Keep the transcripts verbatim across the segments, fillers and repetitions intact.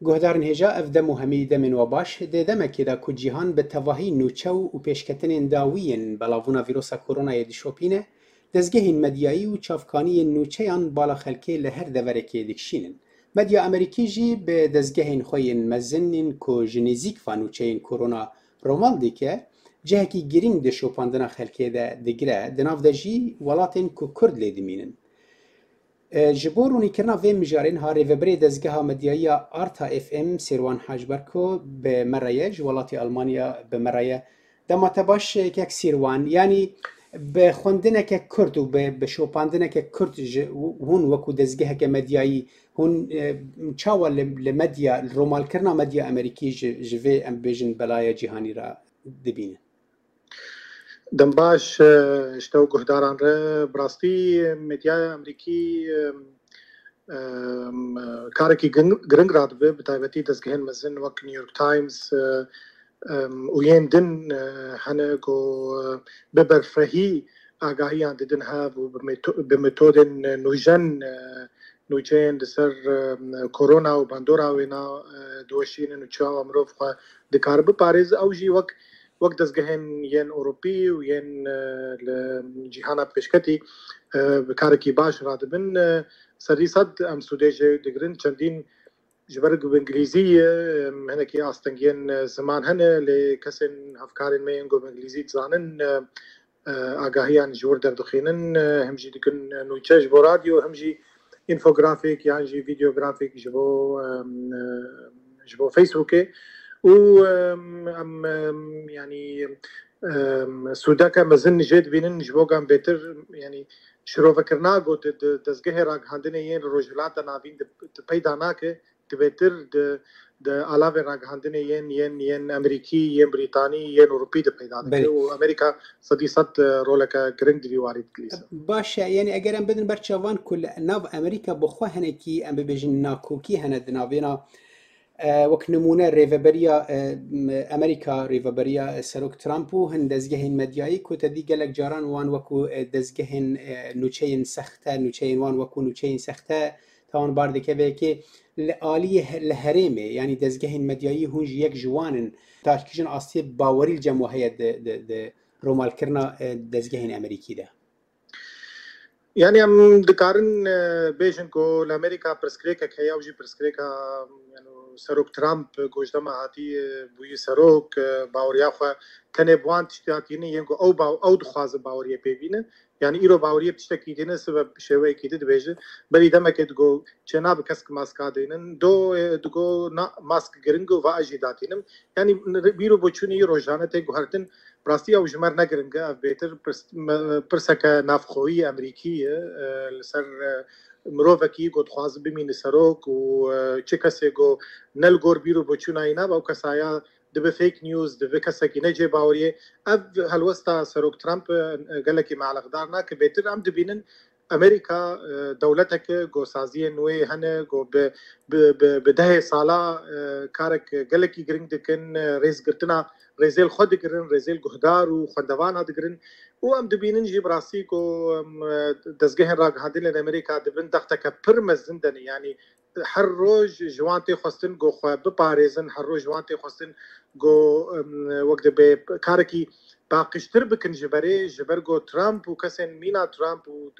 Guhdarên hêja ev dem û hemî demên we baş dê demekê de ku cîhan bi tevahî nûçe û pêşketinên dawiyên belavbûna vîrusa koronayê dişopîne, dezgehên medyayî û çavkaniyên nûçeyan bala xelkê li her deverekê dikişînin. Medya Amerîkî jî bi dezgehên xwe yên mezin ên ku ji nêzîk va nûçeyên korona romal dike, cihekî girîng di şopandina xelkê de digire, di nav de jî welatên ku Kurd lê dimînin. Ji bo rûnîkirina vê mijarên ha rêveberê dezgeha medyayîya Arta F M Sêrwan Hacberko bi me re ye, ji welatê Almanya bi me re ye. Dema te baş kek Sêrwan, yanî bi xwendineke Kurd û bi bi şopandineke Kurd ji hûn wekû dezgeheke medyayî hûn çawa li li medya li romalkirina medya Amerîkî ji ji vê em bêjin belaya cîhanî re dibînin? Dem baş ji te û guhdaran re. Bi rastî medyaya Amerîkî karekî giring radibe, bi taybetî dezgehên mezin wek New York Times û yên din hene ku bi berfirehî agahiyan didin hev û bi metodên nûjen nûçeyên li ser korona û bandora wê na diweşînin û çawa mirov xwe dikare biparêze. Ew jî wek wek dezgehên yên Ewropî û yên li cîhana pêşketî bi karekî baş radibin. Serî sed em sûdê jê digirin. Çendîn ji ber ku bi îngilîzî hinekî astengiyên ziman hene, lê kesên hevkarên me yên ku bi îngilîzî dizanin agahiyan ji wir derdixînin, him jî dikin nûçe ji bo radyo, him jî infografîk yan jî vîdeografîk ji bo ji bo Facebookê û em yanî sûdeke mezin jê dibînin ji bo em bêtir yanî şirovekirina got di dezgehê ragihandinê yên li Rojhilata Navîn di peyda nake, dibêtir di di alavên ragihandinê yên yên yên Amerîkî, yên Brîtanî, yên Ewropî de peyda dike û Amerîka sedî sed roleke giring di vî warî dilîze. Baş e, yanî eger em bidin ber çavan ku li nav Amerîka bi xwe hinekî em bibêjin nakokî hene di navêna wek nimûne rêveberiya Amerîka, rêveberiya Serok Trump û hin dezgehên medyayî ku te dî gelek caran wan wekû dezgehên nûçeyên sexte, nûçeyên wan wekû nûçeyên sexte tawanbar dike vê yekê li aliyê li herêmê, yanî dezgehên medyayî hûn jî yek ji wan in ta kîjan astiyê bawerî li cem we heye di di di romalkirina dezgehên Amerîkî de? Yani em dikarin bêjin ku li Amerîka pirsgirêkek heye, ew jî pirsgirêka Serok Trump ku ji dema hatî bûyî serok baweriya xwe tenê bi wan tişta tîne yên ku ew ew dixwaze baweriyê pê bîne. Yani îro baweriyê bi tiştekî tîne, sibe bi şêweyekî di dibêje. Berî demekê digot çênabe kesk maska deynin, do digot na mask giring û va ez jî datînim. Yani bîr û boçûnî rojane tê guhertin. Bi rastî ew ji me re ne giring e, ev bêtir pirseke navxweyî Amerîkî ye li ser mirovekî ku dixwaze bimîne serok û çi kesê ku ne li gor bîr û boçûnayî nabe ew kesaya dibe fake news, dibe kesekî ne cê baweriyê. Ev helwesta Serok Trump gelekî me eleqdar nake. Bêtir em dibînin Amerîka dewleteke ku saziyên wê hene ku bi bi bi dehê sala karek gelekî giring dikin, rêzgirtina rêzêl xwe digirin, rêzêl guhdar û xwendevana digirin û em dibînin jî bi rastî ku dezgehên ragihandinê li Amerîka dibin dexteke pir mezin de ne. Yani her roj ji wan tê xwestin ku xwe biparêzin, her roj ji wan tê xwestin ku wek dibe karekî paqijtir bikin ji berê, ji ber ku Trump û kesên mîna Trump û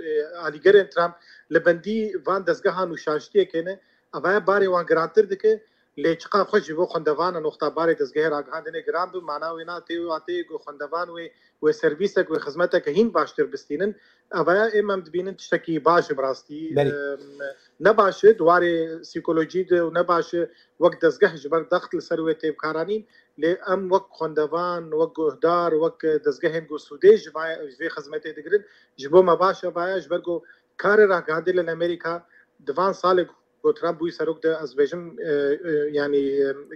alîgerên Trump li bendî van dezgehan û şaştiyekê ne, evaya barê wan girantir dike. Lê çiqa xwe ji bo xwendevanan wexta barê dezgehê ragihandinê giran bi, mana wê na tê watê ku xwendevan wê wê servîsek wê xizmeteke hîn baştir bistînin. Evaya êm em dibînin tiştekî baş e bi rastî. Ne baş e di warê psîkolojî de û ne baş e wek dezgeh ji ber dext li ser wê tê bikaranîn, lê em wek xwendevan, wek guhdar, wek dezgehên ku sûdê ji vê xizmetê digirin, ji bo me baş e vaya, ji ber ku karê ragihandinê li Amerîka di van salê ku Trump bûyî serok de ez bêjim yanî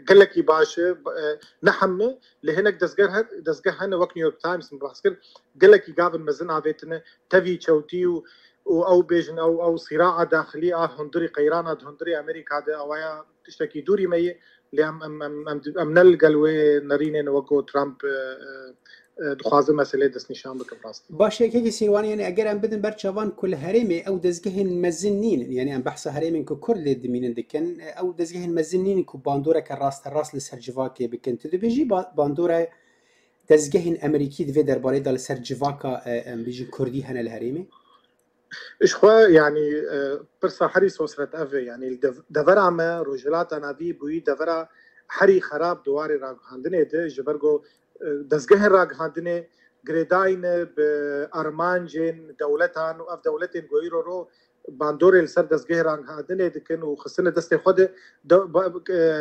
gelekî baş e, ne heme lê hinek dezgeh dezgeh hene wek New York Times min behs kir, gelekî gavin mezin avêtine tevî çewtî û û ew bêjin ew ew sîraa daxilî a hundirî qeyrana di hundirê Amerîka de ewaya tiştekî dûrî me ye, lê em em em em em ne li gel wê nerînên wek ku Trump دخوازم مەسلەی دەستنیشان بکەم ڕاستی. باشە یەکێکی سیروان یعنی ئەگەر ئەم بدن بەرچاوان کو لە هەرێمێ ئەو دەستگەهên مezin nînin yani em behsa herêmên ku Kurd lê dimînin dikin ew dezgehên mezin nînin ku bandoreke rasterast li ser civakê bikin. Tu dibêjî bandora dezgehên Amerîkî di vê derbarê de li ser civaka em bêjin Kurdî hene li herêmê? ji xwe yani pirsa herî sosret ev e yani devera me Rojhilata Navî bûyî devera herî xerab di warê ragihandinê de ji ber ku dezgehên ragihandinê girêdayîne bi armancên dewletan û ev dewletên ku îro ro bandorê li ser dezgehê ragihandinê dikin û xistine destê xwe de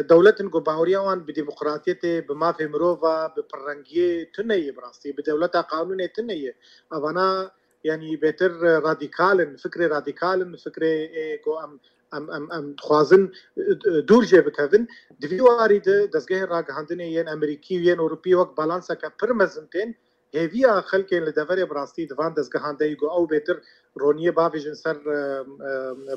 dewletin ku baweriya wan bi demokratiyetê bi mafê mirova bi pirrengiyê tune ye bi rastî bi dewleta qanûnê tune ye evana yani bêtir radikalin fikrê radikalin fikrê ku em em em em dixwazin dûr jê bikevin di vî warî de dezgehên ragihandinê yên Amerîkî û yên Ewropî wek balanseke pir mezin tên hêviya xelkên li deverê bi rastî di van dezgehan de ku ew bêtir roniyê bavêjin ser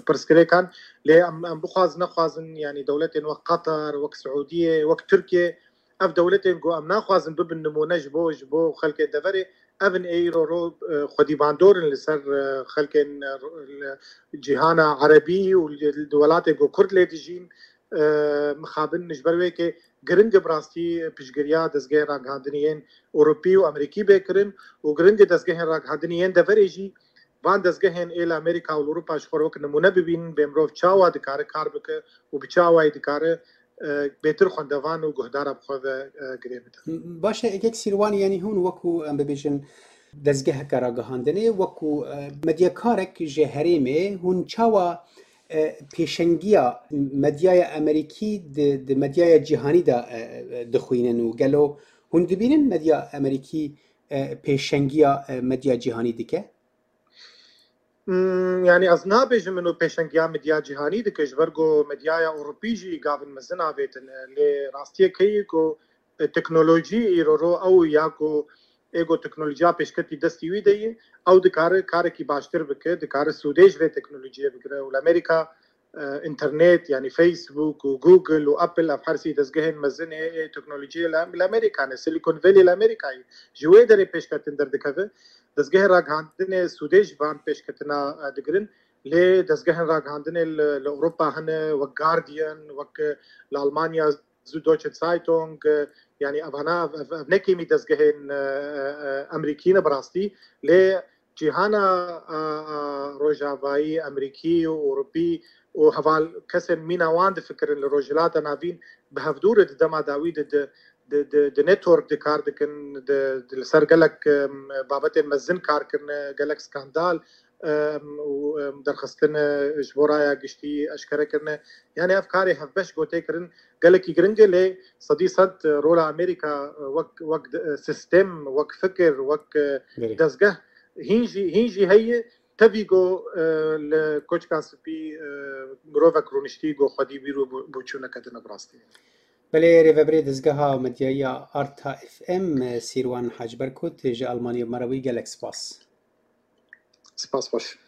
pirsgirêkan lê em em bixwazin nexwazin yani dewletên wek Qatar wek Siûdiyê wek Tirkiye ev dewletên ku em naxwazin bibin nimûne ji bo ji bo xelkên deverê evin îro ro xwedî bandorin li ser xelkên cîhana Erebî û li welatên ku Kurd lê dijîn mixabin ji ber wê yekê giring bi rastî piştgiriya dezgehên ragihandinê yên Ewropî û Amerîkî bê kirin û giring dezgehên ragihandinê yên deverê jî van dezgehên ê li Amerîka û li Ewropa ji xwe wek nimûne bibînin bê mirov çawa dikare kar bike û bi çi awayî dikare bêtir xwendevan û guhdara bi xwe ve girê bide. Baş e yekek Sîrwan yanî hûn wekû em bibêjin dezgeheke ragihandinê wekû medyakarek ji herêmê hûn çawa pêşengiya medyaya Amerîkî di di medyaya cîhanî de dixwînin û gelo hûn dibînin medya Amerîkî pêşengiya medya cîhanî dike? Yani ez nabêjim min û pêşengiya medya cîhanî dike ji ber ku medyaya Ewropî jî gavin mezin avêtin lê rastiyek heye ku teknolojî îro ro ew ya ku êgo teknolojiya pêşketî destî wî de ye ew dikare karekî baştir bike dikare sûdê ji vê teknolojiyê bigire û li Amerîka internet yani Facebook û Google û Apple ev hersî dezgehên mezin ê teknolojiyê li Amerîka ne Silicon Valley li Amerîkayê ji wê derê pêşketin derdikeve dezgehên ragihandinê sûdê ji van pêşketina digirin lê dezgehên ragihandinê li Ewropa hene wek Guardian wek li Almanya Süddeutsche Zeitung yani evana ev nekêmî dezgehên Amerîkî ne bi rastî lê cîhana Rojavayî Amerîkî û Ewropî û heval kesên mîna wan difikirin li Rojhilata Navîn bi hevdûrê di dema dawî de di di network di kar dikin li ser gelek babetên mezin kar kirine gelek skandal û derxistine ji bo raya giştî eşkere kirine yani ev karê hevbeş gotê kirin gelekî giring e lê sedî sed rola Amerîka wek wek sistem wek fikir wek dezgeh hîn jî hîn jî heye tevî ku li Koçka Spî mirovek rûniştî ku xwedî bîr û boçûneke din bi rastî. Belê rêveberê dezgeha medyaya Arta F M Sîrwan Hac Berkut ji Almanya Merawî gelek spas. Spas baş.